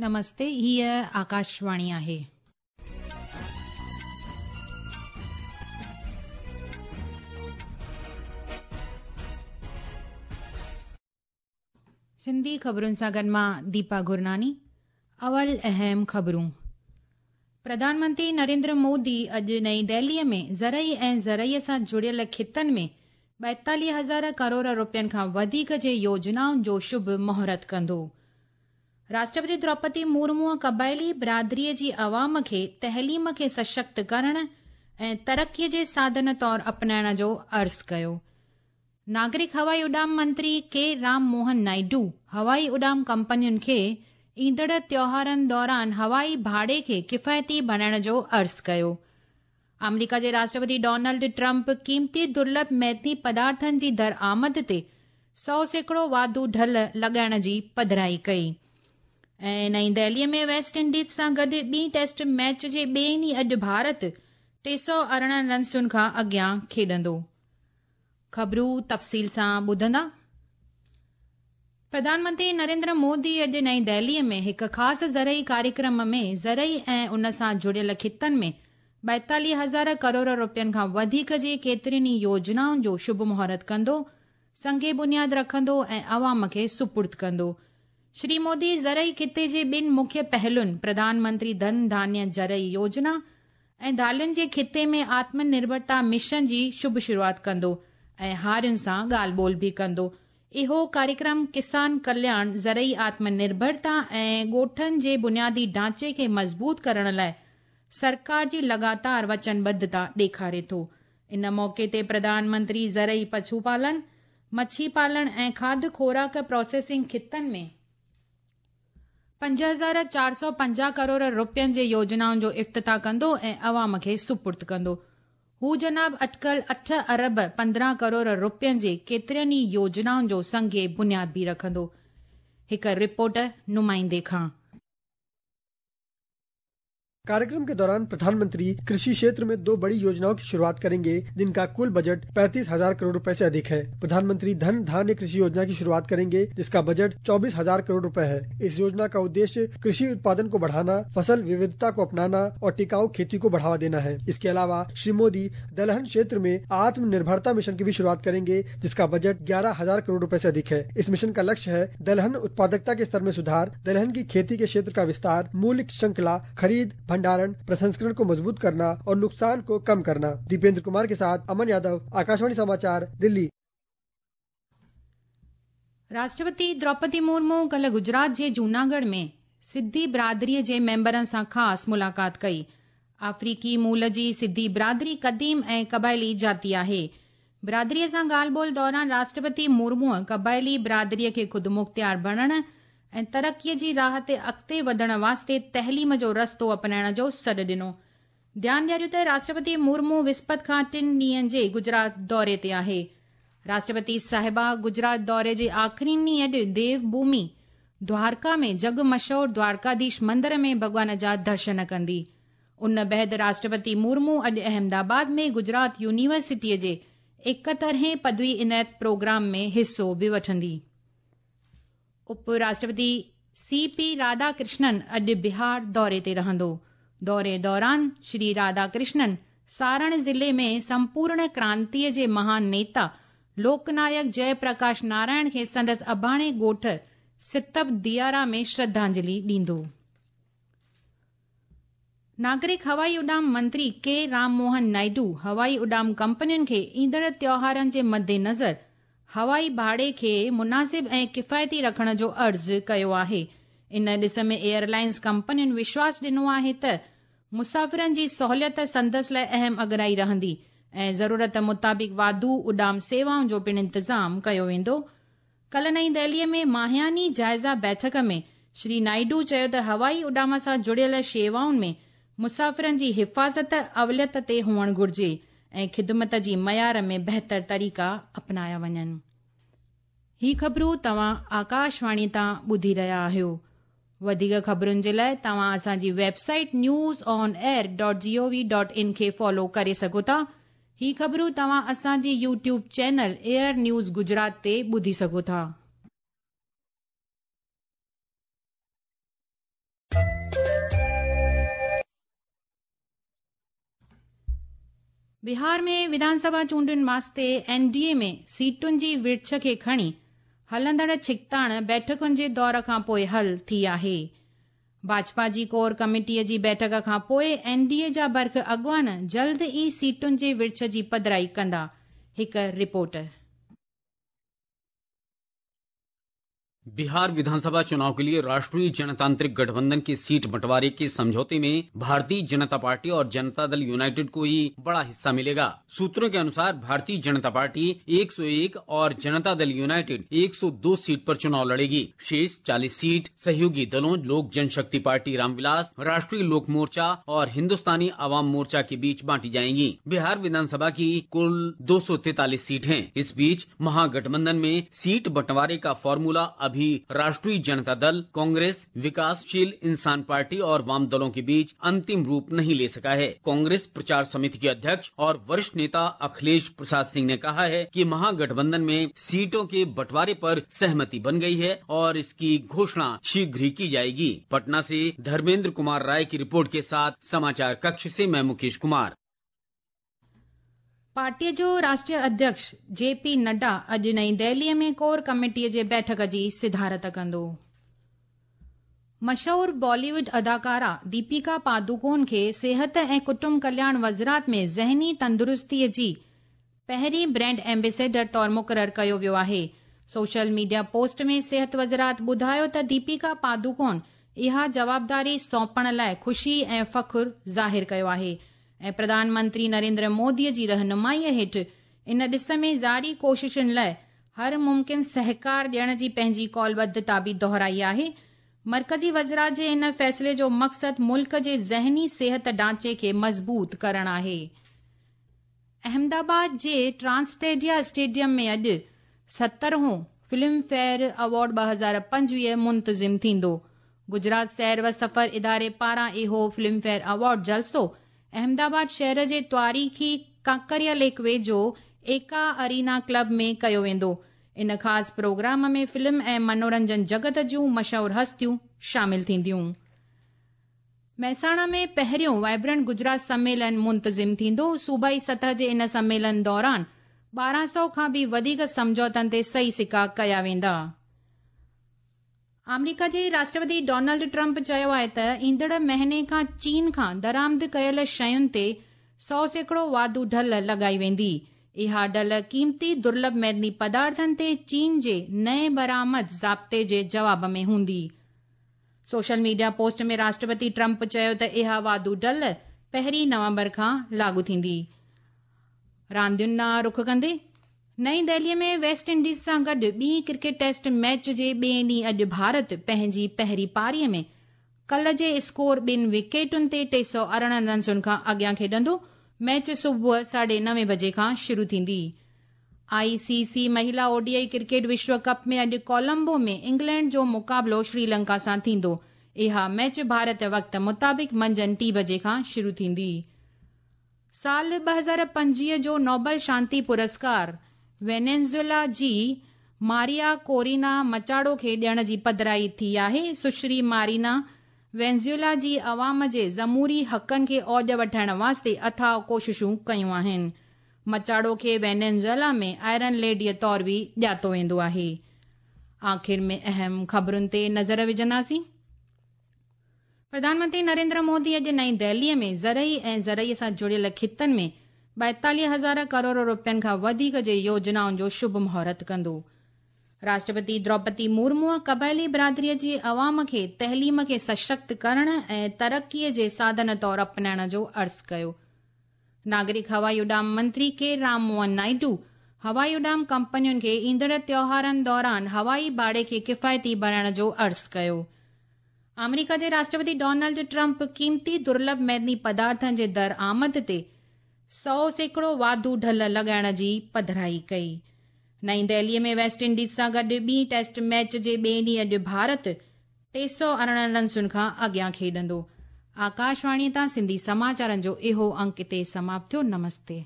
نمستي، هيء آڪاشواڻي آهي. سنڌي خبرن سان گڏ مان ديپا گرناني. اول اهم خبرون. پرڌان منتري نريندر مودي اڄ نئين دهليء ۾ زرعي ۽ زرعي سان جڙيل خطن ۾ 42 هزار ڪروڙ روپين کان وڌيڪ جي يوجنائن جو شڀ مهورت ڪندو. راشٽرپتي دروپدي مرموء قبائلي برادريء جي عوام کي تعليم کي سشڪت ڪرڻ ۽ ترقيء جي ساڌن طور اپنائڻ جو عرض ڪيو. ناگرڪ هوائي اڏام منتري ڪي رام موهن نائيڊو هوائي اڏام ڪمپنين کي ايندڙ تيوهارن دوران هوائي ڀاڙي کي ڪفايتي بڻائڻ جو عرض ڪيو. آمريڪا جي راشٽرپتي ڊونلڊ ٽرمپ قيمتي درلڀ معدني پدارٿن جي درآمد تي 100% واڌو ڍل لڳائڻ جي پڌرائي ڪئي. ۽ نئين دهليء ۾ ويسٽ انڊيز سان گڏ ٻي ٽيسٽ ميچ جي ٻئي ڏينهن اڄ ڀارت 318 رنسن کان اڳيان کيڏندو. خبرون تفصيل سان ٻڌندا. پرڌان منتري نريندر مودي اڄ نئين دهليء ۾ هڪ خاص زرعي ڪاريڪرم ۾ زرعي ۽ ان سان جڙيل خطن ۾ 42 هزار ڪروڙ روپين کان وڌيڪ جي ڪيترين ئي يوجنائن جو شڀ مهورت ڪندو، سنگ بنياد رکندو ۽ عوام کي سپرد ڪندو. شري مودي زرعي خطي جي ٻن مکيه پهلن پرڌان منتري ڌن ڌانيه زرعي يوجنا ۽ دالين جي خطي ۾ آتم نرڀرتا مشن جي شڀ شروعات ڪندو ۽ هارين سان ڳالهه ٻولهه به ڪندو. اهو ڪاريڪرم ڪسان ڪلياڻ، زرعي آتم نرڀرتا ۽ ڳوٺن جي بنيادي ڍانچي کي مضبوط ڪرڻ لاء سرڪار جي لڳاتار وچنبڌتا ڏيکاري ٿو. ان موقعي تي پرڌان منتري زرعي پشو پالڻ، مڇي پالڻ ۽ کاڌ خوراڪ پراسيسنگ خطن ۾ 5450 ڪروڙ روپين جي يوجنائن جو افتتاح ڪندو ۽ عوام کي سپرد ڪندو. هو جناب اٽڪل 8 ارب 15 ڪروڙ روپين جي ڪيترين ئي يوجنائن جو سنگ بنياد به رکندو. هڪ رپورٽ نمائندي کان. कार्यक्रम के दौरान प्रधानमंत्री कृषि क्षेत्र में दो बड़ी योजनाओं की शुरुआत करेंगे, जिनका कुल बजट 35,000 करोड़ रुपए से अधिक है। प्रधानमंत्री धन धान्य कृषि योजना की शुरुआत करेंगे, जिसका बजट 24,000 करोड़ रुपए है। इस योजना का उद्देश्य कृषि उत्पादन को बढ़ाना, फसल विविधता को अपनाना और टिकाऊ खेती को बढ़ावा देना है। इसके अलावा श्री मोदी दलहन क्षेत्र में आत्मनिर्भरता मिशन की भी शुरुआत करेंगे, जिसका बजट 11,000 करोड़ रुपए से अधिक है। इस मिशन का लक्ष्य है दलहन उत्पादकता के स्तर में सुधार, दलहन की खेती के क्षेत्र का विस्तार, मूल्य श्रृंखला, खरीद, भंडारण, प्रसंस्करण को मजबूत करना और नुकसान को कम करना। दीपेंद्र कुमार के साथ अमन यादव, आकाशवाणी समाचार, दिल्ली। राष्ट्रपति द्रौपदी मुर्मू कल्ह गुजरात जे जूनागढ़ में सिद्धी बिरादरीअ जे मेंबरनि सां ख़ासि मुलाक़ात कई। आफ़्रीकी मूल जी सिद्धी बिरादरी क़दीम ऐं क़बाइली जाति आहे। बिरादरीअ सां ॻाल्हि ॿोल दौरान राष्ट्रपति मुर्मूअ क़बाइली बिरादरीअ खे ख़ुदमुख़्तियार बणण ऐं तरक़ीअ जी राह ते अॻिते वधण वास्ते तइलीम जो रस्तो अपनाइण जो सॾु ॾिनो। ध्यान ॾियारियो त राष्ट्रपति मुर्मू विस्पति खां टिनि ॾींहंनि जे गुजरात दौरे ते आहे। राष्ट्रपति साहिबा गुजरात दौरे जे आख़िरी ॾींहुं अॼु देवभूमि द्वारका में जڳ मशहूर द्वारकाधीश मंदर में भॻवान जा दर्शन कंदी। उन बाद राष्ट्रपति मुर्मू अॼु अहमदाबाद में गुजरात यूनिवर्सिटीअ जे 71हें पदवी इनायत प्रोग्राम में हिसो बि वठंदी। उप राष्ट्रपति सी पी राधाकृष्णन अॼु बिहार दौरे ते रहंदो। दौरे दौरान श्री राधाकृष्णन सारण ज़िले में संपूर्ण क्रांतीअ जे महान नेता लोकनायक जय प्रकाश नारायण खे संदसि अबाणे ॻोठ सितब दियारा में श्रद्धांजलि ॾींदो। नागरिक हवाई उॾाम मंत्री के राम मोहन नायडू हवाई उॾाम कंपनियुनि खे ईंदड़ त्योहारनि जे मद्देनज़र हवाई भाड़े खे मुनासिब ऐं किफ़ायती रखण जो अर्ज़ु कयो आहे। इन ॾिस में एयरलाइंस कंपनियुनि विश्वास ॾिनो आहे त मुसाफ़िरनि जी सहूलियत संदसि लाइ अहम अॻिराई रहंदी ऐं ज़रूरत मुताबिक़ वाधू उॾाम सेवाउनि जो पिणु इंतज़ाम कयो वेंदो। कल्ह नई दिल्लीअ में माहियानी जाइज़ा बैठक में श्री नायडू चयो त हवाई उॾाम सां जुड़ियल शेवाउनि में मुसाफ़िरनि जी हिफ़ाज़त अवलियत ते हुअणु घुर्जे ऐं ख़िदमत जी मयार में बहितर तरीक़ा अपनाया वञनि। ही ख़बरूं तव्हां आकाशवाणी तां ॿुधी रहिया आहियो। वधीक ख़बरुनि जे लाइ तव्हां असांजी website news on air dot G O V dot in खे फॉलो करे सघो था। ही ख़बरूं तव्हां असांजी YouTube channel air news Gujarat ते ॿुधी सघो था। بهار ۾ وڌانسڀا چونڊن واسطي اين ڊي اي ۾ سيٽن جي ورڇ کي کڻي هلندڙ ڇڪتاڻ بيٺڪن جي دور کان پوء حل ٿي آهي. ڀاجپا جي ڪور ڪميٽيء جي بيٺڪ کان پوء اين ڊي اي جا برک اڳواڻ جلد ئي سيٽن جي ورڇ جي پڌرائي ڪندا. هڪ رپورٽ. बिहार विधानसभा चुनाव के लिए राष्ट्रीय जनतांत्रिक गठबंधन की सीट बंटवारे के समझौते में भारतीय जनता पार्टी और जनता दल यूनाइटेड को ही बड़ा हिस्सा मिलेगा। सूत्रों के अनुसार भारतीय जनता पार्टी 101 और जनता दल यूनाइटेड 102 सीट पर चुनाव लड़ेगी। शेष 40 सीट सहयोगी दलों लोक जनशक्ति पार्टी रामविलास, राष्ट्रीय लोक मोर्चा और हिंदुस्तानी आवाम मोर्चा के बीच बांटी जाएंगी। बिहार विधानसभा की कुल 243 सीट हैं। इस बीच महागठबंधन में सीट बंटवारे का फॉर्मूला अभी राष्ट्रीय जनता दल, कांग्रेस, विकासशील इंसान पार्टी और वाम दलों के बीच अंतिम रूप नहीं ले सका है। कांग्रेस प्रचार समिति के अध्यक्ष और वरिष्ठ नेता अखिलेश प्रसाद सिंह ने कहा है कि महागठबंधन में सीटों के बंटवारे पर सहमति बन गई है और इसकी घोषणा शीघ्र ही की जाएगी। पटना से धर्मेंद्र कुमार राय की रिपोर्ट के साथ समाचार कक्ष से मैं मुकेश कुमार। पार्टीअ जो राष्ट्रीय अध्यक्ष जे पी नड्डा अॼु नई दिल्लीअ में कोर कमेटीअ जे बैठक जी सिदारत कंदो। मशहूर बॉलीवुड अदाकारा दीपिका पादुकोण खे सिहत ऐं कुटुंब कल्याण वज़ारत में ज़हनी तंदुरुस्तीअ जी पहिरीं ब्रांड एम्बेसडर तौर मुक़ररु कयो वियो आहे। सोशल मीडिया पोस्ट में सिहत वज़ारत ॿुधायो त दीपिका पादुकोण इहा जवाबदारी सौंपण लाइ ख़ुशी ऐं फ़ख़्रु ज़ाहिर कयो आहे ऐं प्रधानमंत्री नरेंद्र मोदीअ जी रहनुमाईअ हेठि इन ॾिस में जारी कोशिशुनि लाइ हर मुमकिन सहकार ॾियण जी पंहिंजी कौलबद्धता बि दोहराई आहे। मर्कज़ी वज़ारत जे इन फ़ैसिले जो मक़सदु मुल्क जे ज़हनी सिहत ढांचे खे मज़बूत करणु आहे। अहमदाबाद जे ट्रांसटेडिया स्टेडियम में अॼु 70हों फिल्म फेयर अवॉर्ड 2025 मुंतज़िम थींदो। गुजरात सैर व सफ़र इदारे पारां इहो फिल्म फेयर अवॉर्ड जलसो अहमदाबाद शहर जे तारीख़ी कांकरिया लेक वेझो एका अरीना क्लब में कयो वेंदो। इन ख़ासि प्रोग्राम में फिल्म ऐं मनोरंजन जगत जूं मशहूर हस्तियूं शामिल थींदियूं। महसाणा में पहिरियों वाइब्रेंट गुजरात सम्मेलन मुंतज़िम थींदो। सूबाई सतह जे इन सम्मेलन दौरान 1200 खां बि वधीक सम्झौतनि ते सही सिका कया वेंदा। आमेरिका जे राष्ट्रपति डोनाल्ड ट्रंप चयो आहे त ईंदड़ महीने खां चीन खां दरामद कयल शयुनि ते 100% वाधू ढल लॻाई वेंदी। इहा ढल क़ीमती दुर्लभ मैदनी पदार्थनि ते चीन जे नए बरामद ज़ाब्ते जे जवाब में हूंदी। सोशल मीडिया पोस्ट में राष्ट्रपति ट्रंप चयो त इहा वाधू ढल 1 नवंबर खां लागू थींदी। रांदियुनि ॾांहुं रुख कंदे नई दिल्लीअ में वेस्ट इंडीज़ सां गॾु ॿी क्रिकेट टेस्ट मैच जे ॿिए ॾींहुं अॼु भारत पंहिंजी पहिरीं पारीअ में कल जे स्कोर 2 विकेटुनि ते 318 रन्सुनि खां अॻियां खेॾंदो। मैच सुबुह 9:30 बजे खां शुरू थींदी। आईसीसी महिला ओडीआई क्रिकेट विश्व कप में अॼु कोलंबो में इंग्लैंड जो मुक़ाबिलो श्रीलंका सां थींदो। इहा मैच भारत वक़्त मुताबिक़ मंझंदि 3 बजे खां शुरू थींदी। साल 2025 जो नोबल शांति पुरस्कार वेनेज़ुएला जी मारिया कोरिना मचाडो खे ॾियण जी पधराई थी आहे। सुश्री मारिना वेनेज़ुएला जी अवाम जे जमहूरी हक़नि खे औज वठाइण वास्ते अथाह कोशिशूं कयूं आहिनि। मचाडो खे वेनेज़ुएला में आयरन लेडीअ तौर बि ॼातो वेंदो आहे। आख़िर में अहम ख़बरुनि ते नज़र विझंदासीं। प्रधानमंत्री नरेंद्र मोदी अॼु नई दिल्लीअ में ज़रई ऐं ज़रई सां जुड़ियल ख़ितनि में 42,000 करोड़ रुपयनि खां वधीक जे योजनाउनि जो शुभ मुहूर्त कंदो। राष्ट्रपति द्रौपदी मुर्मूअ क़बाइली बिरादरीअ जे अवाम खे तइलीम खे सशक्त करण ऐं तरक़ीअ जे साधन तौर अपनाइण जो अर्ज़ु कयो। नागरिक हवाई उॾाम मंत्री के राम मोहन नायडू हवाई उॾाम कंपनियुनि खे ईंदड़ त्योहारनि दौरान हवाई भाड़े खे किफ़ायती बणाइण जो अर्ज़ु कयो। आमेरिका जे राष्ट्रपति डोनाल्ड ट्रंप क़ीमती दुर्लभ मैदनी पदार्थनि जे दरआमद ते 100% वाधू ढल लॻाइण जी पधराई कई। नई दिल्लीअ में वेस्ट इंडीज़ सां गॾु ॿी टेस्ट मैच जे ॿिए ॾींहुं अॼु भारत 318 रन्सुनि खां अॻियां खेॾंदो। आकाशवाणीअ तां सिंधी समाचारनि जो इहो अंक हिते समाप्त थियो। नमस्ते।